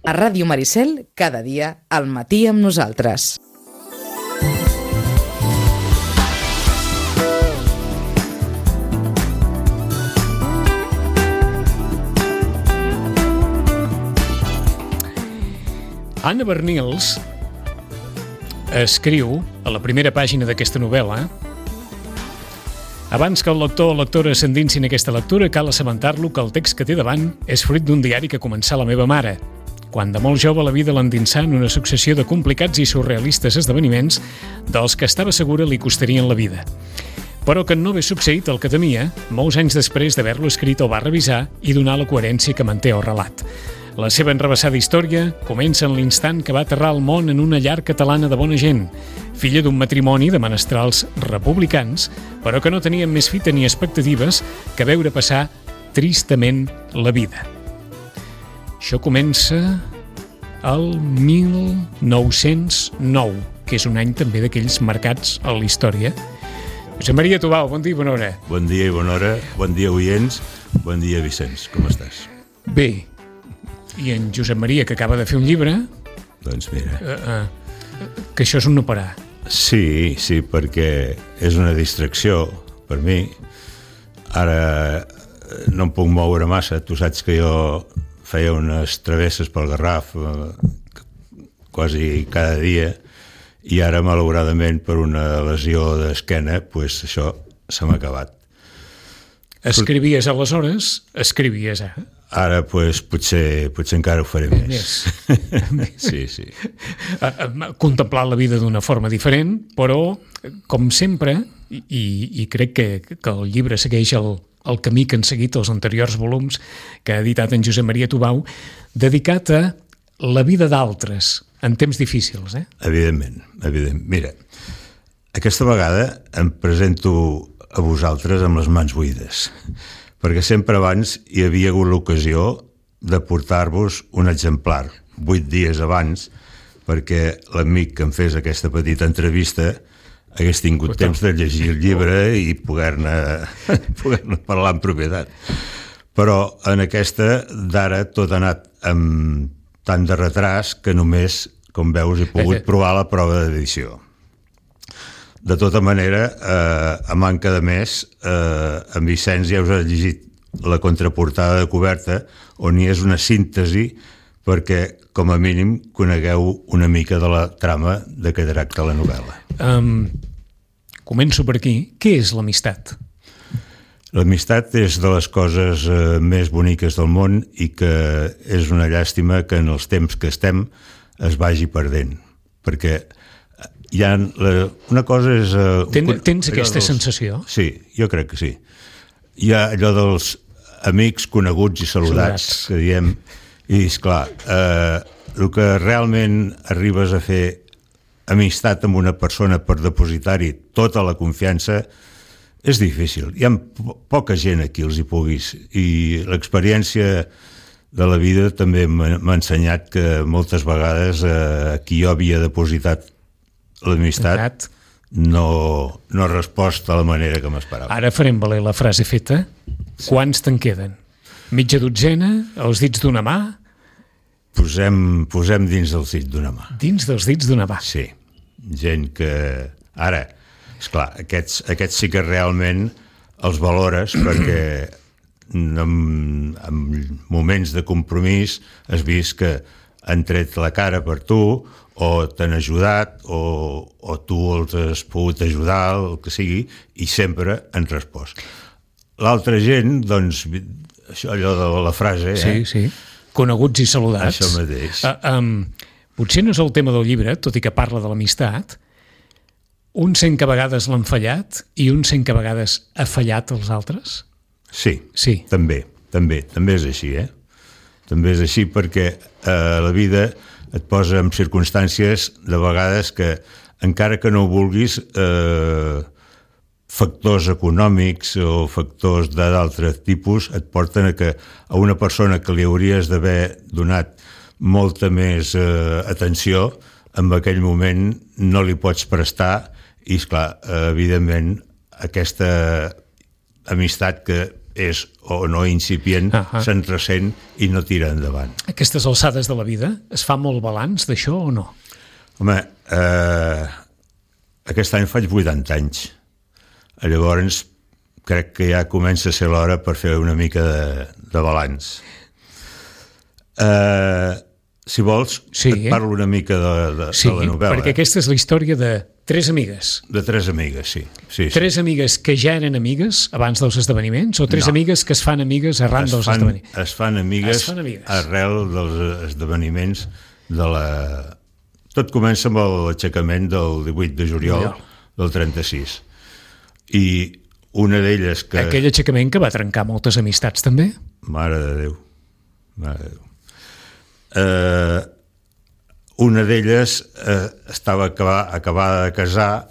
A Ràdio Maricel, cada dia, al matí amb nosaltres. Anna Bernils escriu a la primera pàgina d'aquesta novel·la: abans que el lector o lectora s'endinsi en aquesta lectura, cal assabentar-lo que el text que té davant és fruit d'un diari que començà la meva mare, quan de molt jove la vida l'endinsà en una successió de complicats i surrealistes esdeveniments dels que estava segura li costarien la vida. Però que no hagués succeït el que temia, molts anys després d'haver-lo escrit el va revisar i donar la coherència que manté el relat. La seva enrevessada història comença en l'instant que va aterrar al món en una llar catalana de bona gent, filla d'un matrimoni de menestrals republicans, però que no tenien més fita ni expectatives que veure passar tristament la vida. Això comença el 1909, que és un any també d'aquells marcats a la història. Josep Maria Tubau, bon dia i bona hora. Bon dia i bona hora, bon dia oients, bon dia Vicenç, com estàs? Bé, i en Josep Maria, que acaba de fer un llibre... Doncs mira... que això és un no parar. Sí, perquè és una distracció per mi. Ara no em puc moure massa, tu saps que jo feia unes travesses pel Garraf quasi cada dia, i ara malauradament per una lesió d'esquena, doncs això se m'ha acabat. Escrivies aleshores, escrivies ara. Ara doncs, potser encara ho faré més. Sí. Contemplar la vida d'una forma diferent, però, com sempre, i crec que el llibre segueix el camí que han seguit els anteriors volums que ha editat en Josep Maria Tubau, dedicat a la vida d'altres en temps difícils. Evidentment. Mira, aquesta vegada em presento a vosaltres amb les mans buides, perquè sempre abans hi havia hagut l'ocasió de portar-vos un exemplar 8 dies abans, perquè l'amic que em fes aquesta petita entrevista hagués tingut temps de llegir el llibre i poder-ne parlar en propietat. Però en aquesta d'ara tot ha anat amb tant de retras que només, com veus, he pogut provar la prova d'edició. De tota manera, a manca de més, en Vicenç ja us ha llegit la contraportada de coberta, on hi és una síntesi perquè, com a mínim, conegueu una mica de la trama de què tracta la novel·la. Començo per aquí. Què és l'amistat? L'amistat és de les coses més boniques del món i que és una llàstima que en els temps que estem es vagi perdent, perquè hi ha una cosa és... Tens aquesta sensació? Sí, jo crec que sí. Hi ha allò dels amics coneguts i saludats que diem, i esclar, el que realment arribes a fer amistat amb una persona per depositar-hi tota la confiança és difícil. Hi ha poca gent a qui els hi puguis, i l'experiència de la vida també m'ha ensenyat que moltes vegades a qui jo havia depositat l'amistat no ha respost de la manera que m'esperava. Ara farem valer la frase feta. Quants te'n queden? Mitja dotzena? Els dits d'una mà? Posem dins dels dits d'una mà. Dins dels dits d'una mà? Sí. Gent que... Ara, esclar, aquests sí que realment els valores perquè en moments de compromís has vist que han tret la cara per tu, o t'han ajudat, o tu els has pogut ajudar, el que sigui, i sempre han respost. L'altra gent, doncs, allò de la frase... Sí. Coneguts i saludats. Això mateix. Potser no és el tema del llibre, tot i que parla de l'amistat. Un sent que a vegades l'han fallat i un sent que a vegades ha fallat els altres? Sí. També és així, També és així perquè la vida et posa en circumstàncies de vegades que, encara que no ho vulguis, factors econòmics o factors d'altre tipus et porten a una persona que li hauries d'haver donat molta més atenció, en aquell moment no li pots prestar, i esclar, evidentment aquesta amistat que és o no incipient, se'n ressent i no tira endavant. Aquestes alçades de la vida, es fa molt balanç d'això o no? Home, aquest any faig 80 anys. Llavors, crec que ja comença a ser l'hora per fer una mica de balanç. Si vols, et parlo una mica de la novel·la. Perquè aquesta és la història de 3 amigues. De 3 amigues, sí. 3 amigues que ja eren amigues abans dels esdeveniments o 3 amigues que es fan amigues arran dels esdeveniments? Es fan amigues arrel dels esdeveniments de la... Tot comença amb l'aixecament del 18 de juliol del 36. I una d'elles que... Aquell aixecament que va trencar moltes amistats, també? Mare de Déu. Una d'elles estava acabada de casar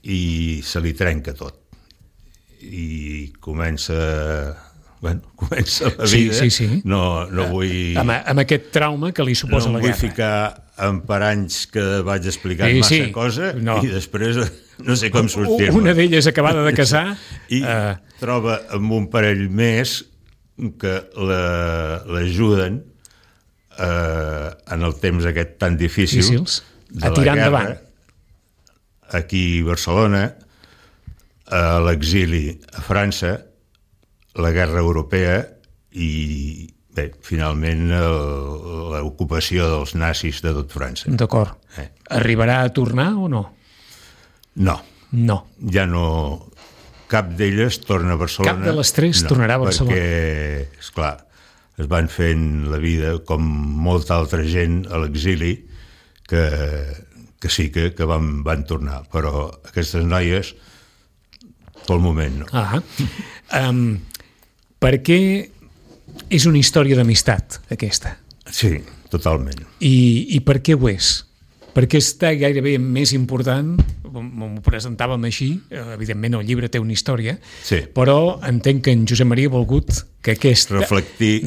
i se li trenca tot. I comença la vida. Sí. No vull... Amb aquest trauma que li suposa la guerra. No vull ficar en paranys que vaig explicant massa cosa i després no sé com sortir-me. Una d'elles acabada de casar... I troba amb un parell més que l'ajuden en el temps aquest tan difícil a tirar endavant aquí a Barcelona, a l'exili a França, la guerra europea i bé, finalment l'ocupació dels nazis de tot França. D'acord. Arribarà a tornar o no? No. Ja no... Cap d'elles torna a Barcelona. Cap de les 3 tornarà a Barcelona. Perquè, esclar, es van fent la vida com molta altra gent a l'exili que sí que van tornar, però aquestes noies pel moment no. Per què és una història d'amistat aquesta? Sí, totalment. I per què ho és? Perquè està gairebé més important, m'ho presentàvem així, evidentment el llibre té una història, però entenc que en Josep Maria ha volgut que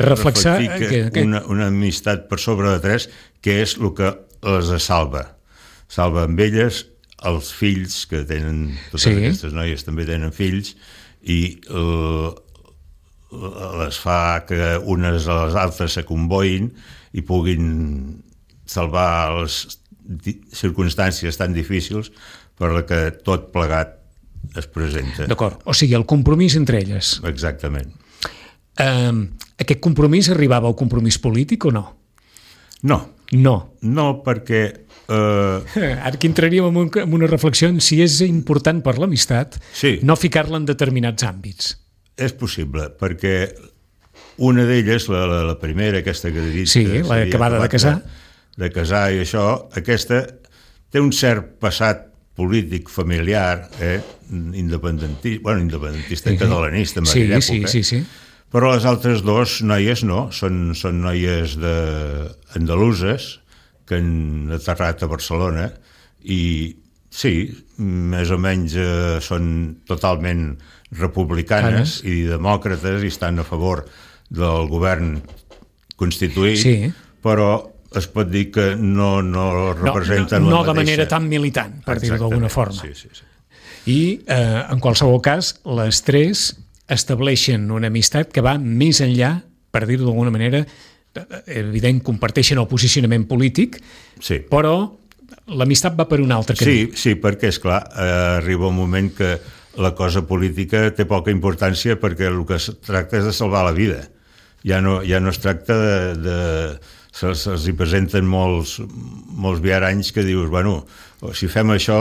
reflexar que una amistat per sobre de 3, que és el que les salva. Salva amb elles els fills que tenen, totes aquestes noies també tenen fills, i les fa que unes a les altres s'acomboïn i puguin salvar les circumstàncies tan difícils per la que tot plegat es presenta. D'acord, o sigui, el compromís entre elles. Exactament. Aquest compromís arribava al compromís polític o no? No, perquè... Ara que entraríem en una reflexió en si és important per l'amistat no ficar-la en determinats àmbits. És possible, perquè una d'elles, la primera, aquesta que he dit... Sí, l'acabada de casar. De casar i això, aquesta té un cert passat polític familiar, independentista i catalanista en aquella època. Sí. Però les altres 2 noies no, són noies andaluses que han aterrat a Barcelona i sí, més o menys són totalment republicanes i demòcrates i estan a favor del govern constituït, però es pot dir que no representen la mateixa... No de manera tan militant, per dir-ho d'alguna forma. Sí. I, en qualsevol cas, les 3 estableixen una amistat que va més enllà, per dir-ho d'alguna manera, evident, comparteixen el posicionament polític, però l'amistat va per un altre camí. Sí, perquè, esclar, arriba un moment que la cosa política té poca importància perquè el que es tracta és de salvar la vida. Ja no es tracta de se'ls hi presenten molts viaranys que dius, bueno, si fem això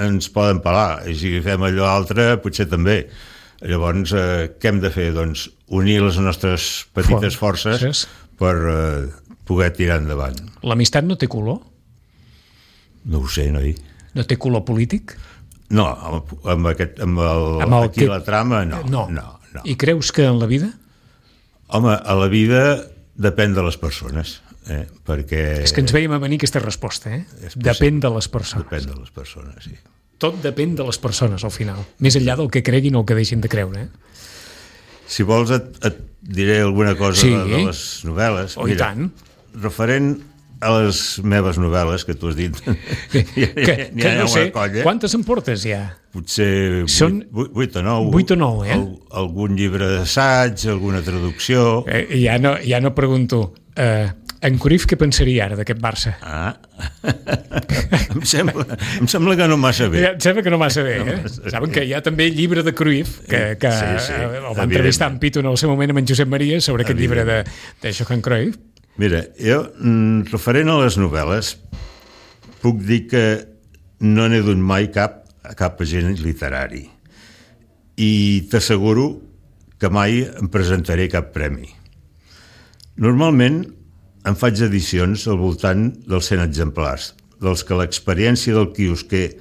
ens poden pelar, i si fem allò altre potser també. Llavors, què hem de fer? Doncs unir les nostres petites forces per poder tirar endavant. L'amistat no té color? No ho sé, noi. No té color polític? No, aquí la trama, no. I creus que en la vida? Home, a la vida depèn de les persones, perquè... És que ens veiem a venir aquesta resposta, Depèn de les persones. Depèn de les persones, sí. Tot depèn de les persones, al final. Més enllà del que creguin o el que deixin de creure, Si vols et diré alguna cosa de les novel·les. I tant. Referent a les meves novel·les, que tu has dit, que no sé, colla. quantes en portes ja? Potser 8 o 9. 8 o 9, Algun llibre d'assaig, alguna traducció. Ja no pregunto. En Cruyff què pensaria ara d'aquest Barça? Em sembla que no massa bé. Em sembla que no massa bé, Saben que hi ha també llibre de Cruyff, que sí, el va entrevistar en Pitu en el seu moment amb en Josep Maria sobre aquest llibre de Johan Cruyff. Mira, jo, referent a les novel·les, puc dir que no n'he dut mai cap a cap agent literari. I t'asseguro que mai em presentaré cap premi. Normalment em faig edicions al voltant dels 100 exemplars, dels que l'experiència del quiosquer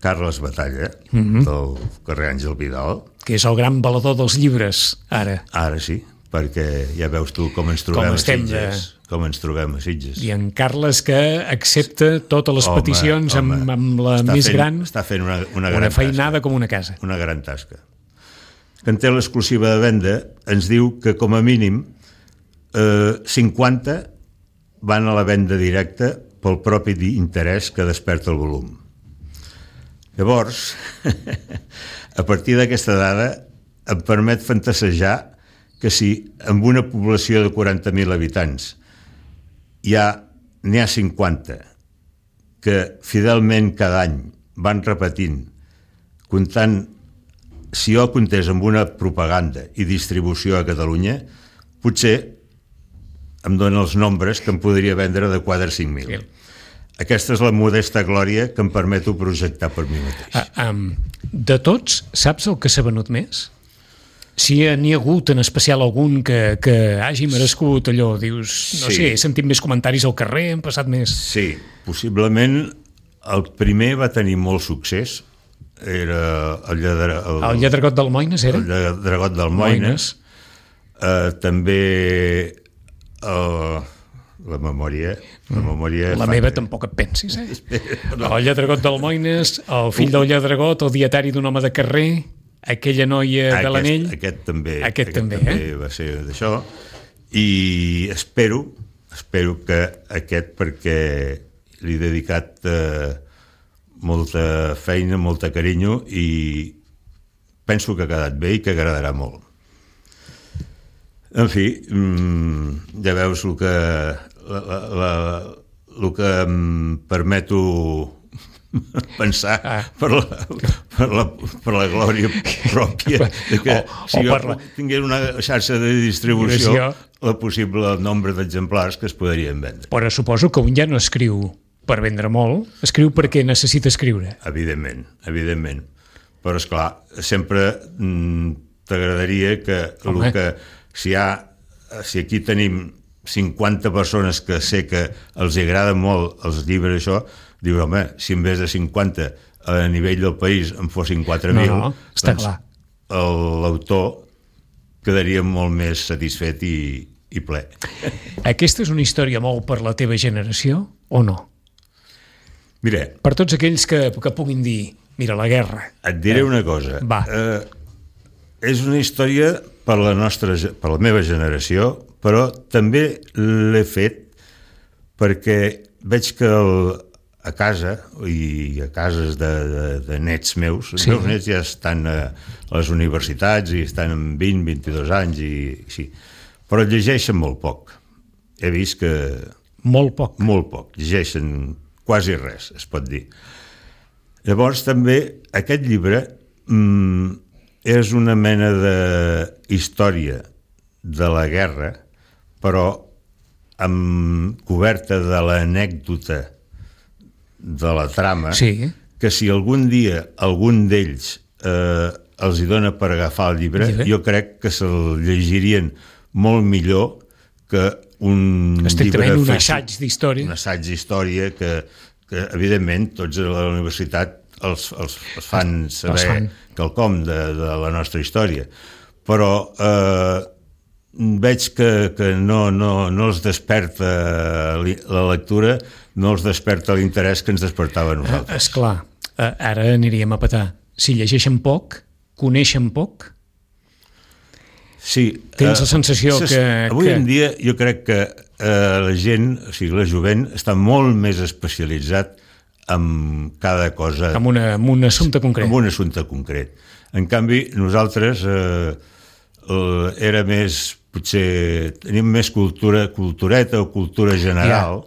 Carles Batalla, del carrer Àngel Vidal... Que és el gran valedor dels llibres, ara. Ara sí, perquè ja veus tu com ens trobem a Sitges. Com ens trobem a Sitges. I en Carles, que accepta totes les peticions amb la més gran... Està fent una gran feinada tasca, com una casa. Una gran tasca. Que en té l'exclusiva de venda, ens diu que com a mínim 50 van a la venda directa pel propi interès que desperta el volum. Llavors, a partir d'aquesta dada, em permet fantasejar que si amb una població de 40.000 habitants n'hi ha 50 que fidelment cada any van repetint, comptant, si jo comptés amb una propaganda i distribució a Catalunya, potser em dona els nombres que em podria vendre de 4 a 5.000. Aquesta és la modesta glòria que em permeto projectar per mi mateix. De tots, saps el que s'ha venut més? Si n'hi ha hagut en especial algun que hagi merescut allò, dius, no sé, he sentit més comentaris al carrer, hem passat més... Sí, possiblement el primer va tenir molt succés, era el Lladregot d'Almoines, era? El Lladregot d'Almoines. També la memòria... La meva tampoc et pensis, El Lladregot d'Almoines, el fill del Lladregot, el dietari d'un home de carrer, aquella noia de l'anell... Aquest també va ser d'això, i espero que aquest, perquè li he dedicat molta feina, molta carinyo, i penso que ha quedat bé i que agradarà molt. En fi, ja veus el que em permeto pensar per la glòria pròpia de que si jo tingués una xarxa de distribució, el possible nombre d'exemplars que es podrien vendre. Però suposo que un ja no escriu per vendre molt, escriu perquè necessita escriure. Evidentment. Però, esclar, sempre t'agradaria que si aquí tenim 50 persones que sé que els agrada molt els llibres, això, diu, home, si en vez de 50 a nivell del país en fossin 4.000, està clar. L'autor quedaria molt més satisfet i ple. Aquesta és una història molt per la teva generació, o no? Mira... Per tots aquells que puguin dir, mira, la guerra... Et diré una cosa. Va. És una història per la meva generació, però també l'he fet perquè veig que a casa i a cases de nets meus, els meus nets ja estan a les universitats i estan amb 20-22 anys i així, però llegeixen molt poc. He vist que... Molt poc. Molt poc. Llegeixen quasi res, es pot dir. Llavors també aquest llibre és una mena de història de la guerra, però amb coberta de l'anècdota de la trama, que si algun dia algun d'ells els hi dona per agafar el llibre, jo crec que se'l llegirien molt millor que un llibre... Un assaig d'història. Un assaig d'història que evidentment, tots a la universitat els fan saber quelcom de la nostra història. Però veig que no els desperta la lectura, no els desperta l'interès que ens despertava a nosaltres. Esclar, ara aniríem a petar. Si llegeixen poc, coneixen poc? Sí. Tens la sensació que... Avui en dia jo crec que la gent, o sigui, la jovent, està molt més especialitzat en cada cosa. Amb un assumpte concret. Amb un assumpte concret. En canvi, nosaltres era més, potser, tenim més cultureta o cultura general.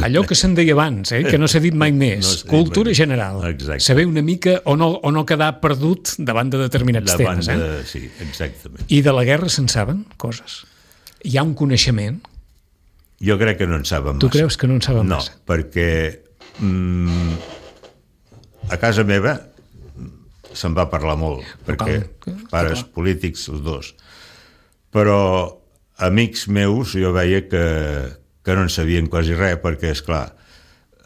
Allò que se'n deia abans, que no s'ha dit mai més. Cultura general. Exacte. Saber una mica o no quedar perdut davant de determinats temes. Sí, exactament. I de la guerra se'n saben coses? Hi ha un coneixement? Jo crec que no en saben massa. Tu creus que no en saben massa? No, perquè a casa meva se'n va parlar molt, perquè pares polítics, els dos. Però amics meus jo veia que no en sabien quasi res, perquè, esclar,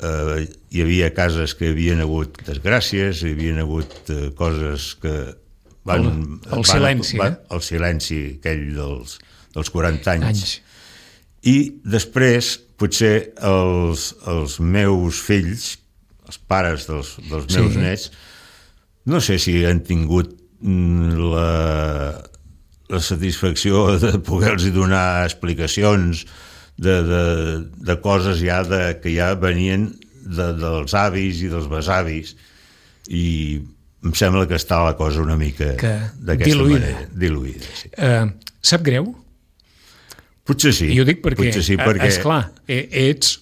hi havia cases que hi havia hagut desgràcies, hi havia hagut coses que van... El silenci, el silenci aquell dels 40 anys. I després, potser, els meus fills, els pares dels meus nets, no sé si han tingut la satisfacció de poder-los donar explicacions de coses que ja venien dels avis i dels besavis, i em sembla que està la cosa una mica d'aquesta manera. Diluïda. Sí. Sap greu? Potser sí. I ho dic perquè, perquè... esclar,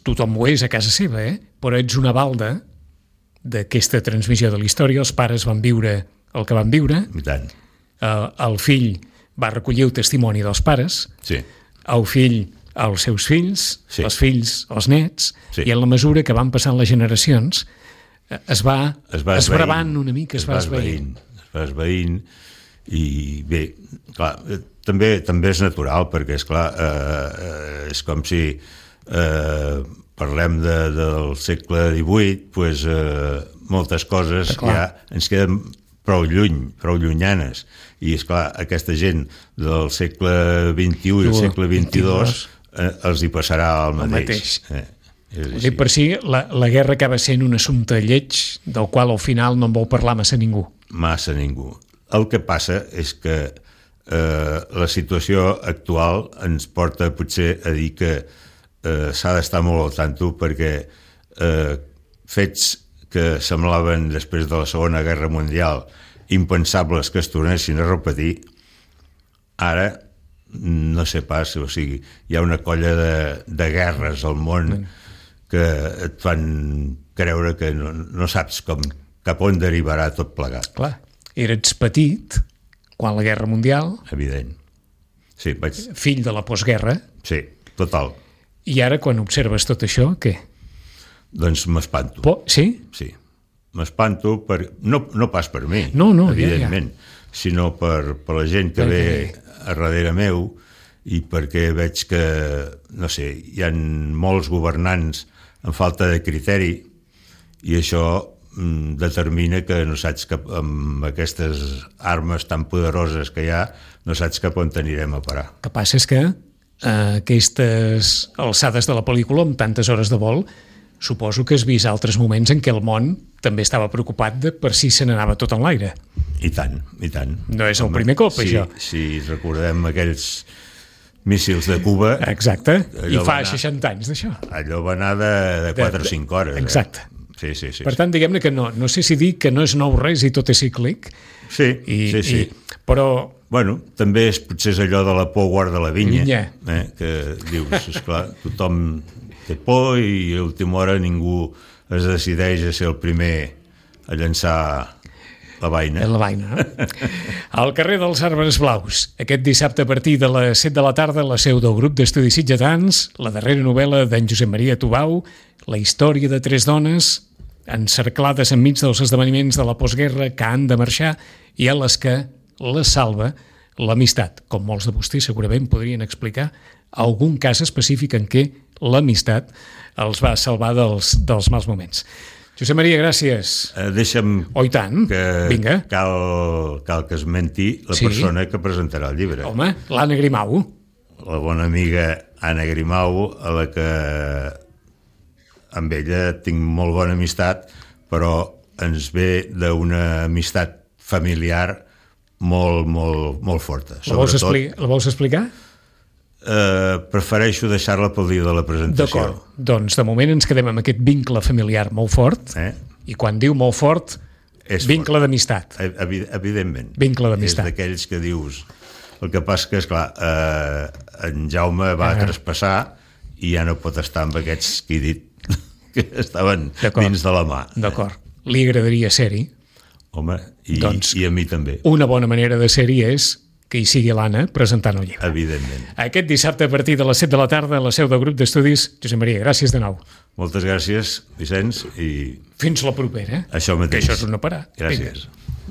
tothom ho és a casa seva, però ets una balda d'aquesta transmissió de la història. Els pares van viure el que van viure. I tant. El fill va recollir el testimoni dels pares. Sí. El fill, els seus fills, sí. Els fills, els nets, sí. I en la mesura que van passant les generacions es va esbravant una mica, es va esvaint. I bé, clar, també és natural, perquè esclar, és com si parlem del segle XVIII, doncs moltes coses ja ens queden prou llunyanes, i esclar, aquesta gent del segle XXI i el segle XXII els hi passarà el mateix. Dic per si la guerra acaba sent un assumpte lleig del qual al final no en vol parlar massa ningú. El que passa és que la situació actual ens porta potser a dir que s'ha d'estar molt al tanto, perquè fets que semblaven després de la Segona Guerra Mundial impensables que es tornessin a repetir, ara no sé pas, o sigui, hi ha una colla de guerres al món que et fan creure que no saps cap on derivarà tot plegat. Clar, eres petit quan la Guerra Mundial. Evident. Sí, fill de la postguerra. Sí, total. I ara, quan observes tot això, què? Doncs m'espanto. Sí? Sí. M'espanto, no pas per mi, evidentment, sinó per la gent que ve a darrere meu, i perquè veig que, no sé, hi ha molts governants amb falta de criteri, i això determina que no saps amb aquestes armes tan poderoses que hi ha, no saps cap on anirem a parar. El que passa és que aquestes alçades de la pel·lícula, amb tantes hores de vol, suposo que has vist altres moments en què el món també estava preocupat per si se n'anava tot en l'aire. I tant, i tant. No és el primer cop, això. Si recordem aquells míssils de Cuba... Exacte, i fa 60 anys d'això. Allò va anar de 4 o 5 hores. Exacte. Sí. Per tant, diguem-ne que no sé si dir que no és nou res i tot és cíclic. Sí. Però... Bueno, també potser és allò de la por guarda la vinya. Que dius, esclar, tothom té por i a última hora ningú es decideix a ser el primer a llançar la vaina. La vaina, no? Al carrer dels Arbres Blaus, aquest dissabte a partir de les 7 de la tarda, la seu del grup d'estudis sitgetans, la darrera novel·la d'en Josep Maria Tubau, la història de 3 dones encerclades enmig dels esdeveniments de la postguerra que han de marxar i a les que les salva l'amistat. Com molts de vostès segurament podrien explicar algun cas específic en què l'amistat els va salvar dels mals moments. Josep Maria, gràcies. Deixa'm tant. Vinga. Cal que esmenti la persona que presentarà el llibre. Home, l'Anna Grimau. La bona amiga Anna Grimau, a la que amb ella tinc molt bona amistat, però ens ve d'una amistat familiar molt, molt, molt forta. La vols explicar? prefereixo deixar-la pel dia de la presentació. D'acord, doncs de moment ens quedem amb aquest vincle familiar molt fort, i quan diu molt fort, vincle d'amistat. Evidentment. Vincle d'amistat. És d'aquells que dius... El que passa que, esclar, en Jaume va traspassar i ja no pot estar amb aquests que he dit que estaven dins de la mà. D'acord. Li agradaria ser-hi? Home, i a mi també. Una bona manera de ser-hi és que hi sigui l'Anna presentant el llibre. Evidentment. Aquest dissabte a partir de les 7 de la tarda a la seu del grup d'estudis. Josep Maria, gràcies de nou. Moltes gràcies, Vicenç, i... Fins la propera. Això mateix. Que això és un no parar. Gràcies. Vinga.